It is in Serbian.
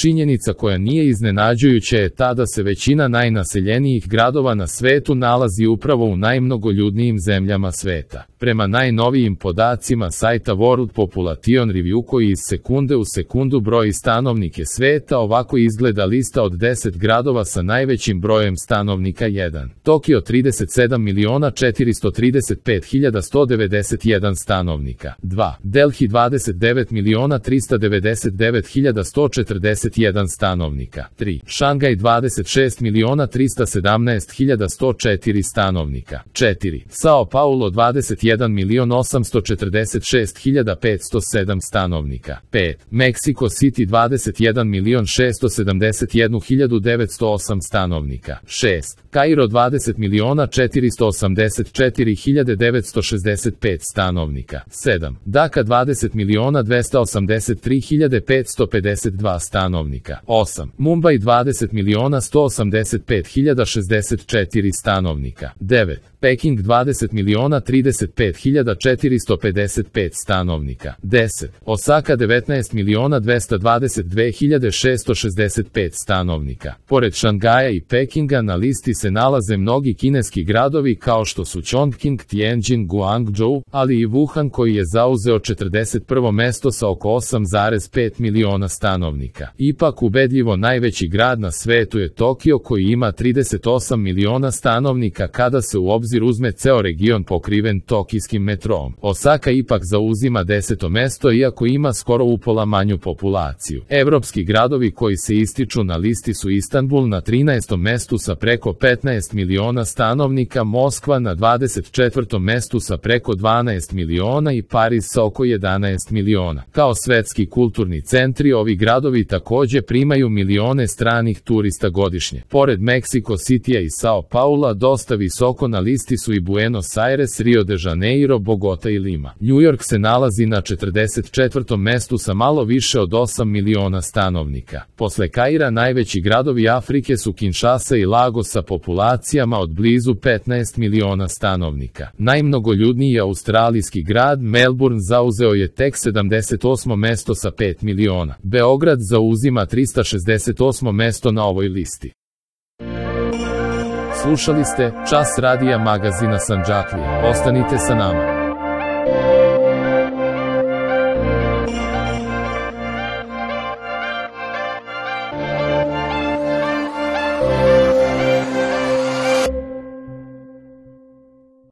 Činjenica koja nije iznenađujuća je ta da se većina najnaseljenijih gradova na svetu nalazi upravo u najmnogoljudnijim zemljama sveta. Prema najnovijim podacima sajta World Population Review koji iz sekunde u sekundu broji stanovnike sveta, ovako izgleda lista od 10 gradova sa najvećim brojem stanovnika. 1. Tokio 37.435.191 stanovnika. 2. Delhi 29.399.141 stanovnika. 3. Šangaj 26.317.104 stanovnika. 4. Sao Paulo 21.846.507 stanovnika. 5. Mexico City 21.671.908 stanovnika. 6. Kairo 20.484.965 stanovnika. 7. Daka 20.283.552 stanovnika. 8. Mumbai 20.185.064 stanovnika. 9. Peking 20.035.455 stanovnika. 10. Osaka 19.222.665 stanovnika. Pored Šangaja i Pekinga na listi se nalaze mnogi kineski gradovi kao što su Chongqing, Tianjin, Guangzhou, ali i Wuhan koji je zauzeo 41. mesto sa oko 8,5 miliona stanovnika. Ipak ubedljivo najveći grad na svetu je Tokio koji ima 38 miliona stanovnika kada se u obzir uzme ceo region pokriven tokijskim metrom. Osaka ipak zauzima 10. mesto iako ima skoro upola manju populaciju. Evropski gradovi koji se ističu na listi su Istanbul na 13. mestu sa preko 15 miliona stanovnika, Moskva na 24. mestu sa preko 12 miliona i Pariz sa oko 11 miliona. Kao svetski kulturni centri, ovi gradovi takođe primaju milione stranih turista godišnje. Pored Mexico Citya i Sao Paula, dosta visoko na listi su i Buenos Aires, Rio de Janeiro, Bogota i Lima. New York se nalazi na 44. mestu sa malo više od 8 miliona stanovnika. Posle Kaira najveći gradovi Afrike su Kinshasa i Lagos sa populacijama od blizu 15 miliona stanovnika. Najmnogoljudniji australijski grad Melbourne zauzeo je tek 78. mesto sa 5 miliona. Beograd zauzima 368. mesto na ovoj listi. Slušali ste Čas radija magazina Sandžaklija. Ostanite sa nama.